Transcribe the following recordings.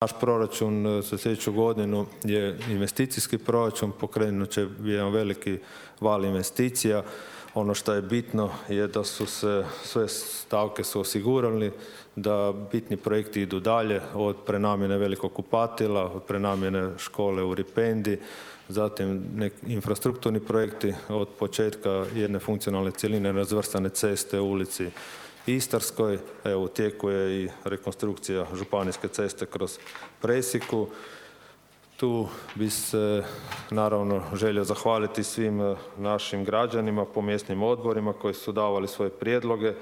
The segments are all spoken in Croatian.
Naš proračun za sljedeću godinu je investicijski proračun, pokrenut će jedan veliki val investicija. Ono što je bitno je da su se sve stavke osigurali, da bitni projekti idu dalje, od prenamjene velikog kupatila, od prenamjene škole u Ripendi, zatim infrastrukturni projekti od početka jedne funkcionalne cjeline razvrstane ceste u ulici Istarskoj. Evo, u tijeku je i rekonstrukcija županijske ceste kroz Presiku. Tu bi se naravno želio zahvaliti svim našim građanima po mjesnim odborima koji su davali svoje prijedloge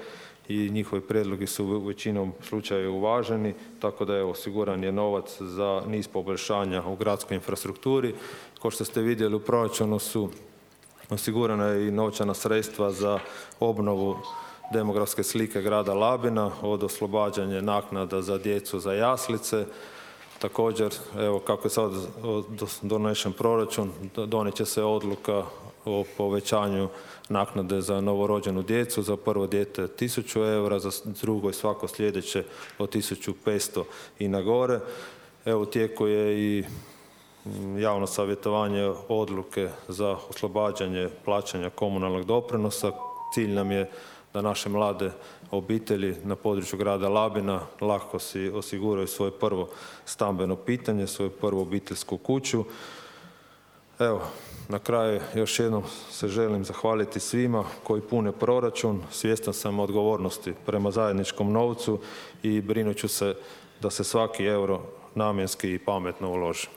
i njihovi prijedlogi su u većinom slučajeva uvaženi, tako da je osiguran je novac za niz poboljšanja u gradskoj infrastrukturi. Kao što ste vidjeli, u proračunu su osigurana i novčana sredstva za obnovu demografske slike grada Labina, od oslobađanja naknada za djecu za jaslice. Također, evo, kako je sad donesen proračun, donijet će se odluka o povećanju naknade za novorođenu djecu, za prvo dijete 1000 eura, za drugo i svako sljedeće od 1500 i na gore. Evo, u tijeku je i javno savjetovanje odluke za oslobađanje plaćanja komunalnog doprinosa. Cilj nam je da naše mlade obitelji na području grada Labina lako si osiguraju svoje prvo stambeno pitanje, svoju prvu obiteljsku kuću. Evo, na kraju još jednom se želim zahvaliti svima koji pune proračun. Svjestan sam odgovornosti prema zajedničkom novcu i brinut ću se da se svaki euro namjenski i pametno uloži.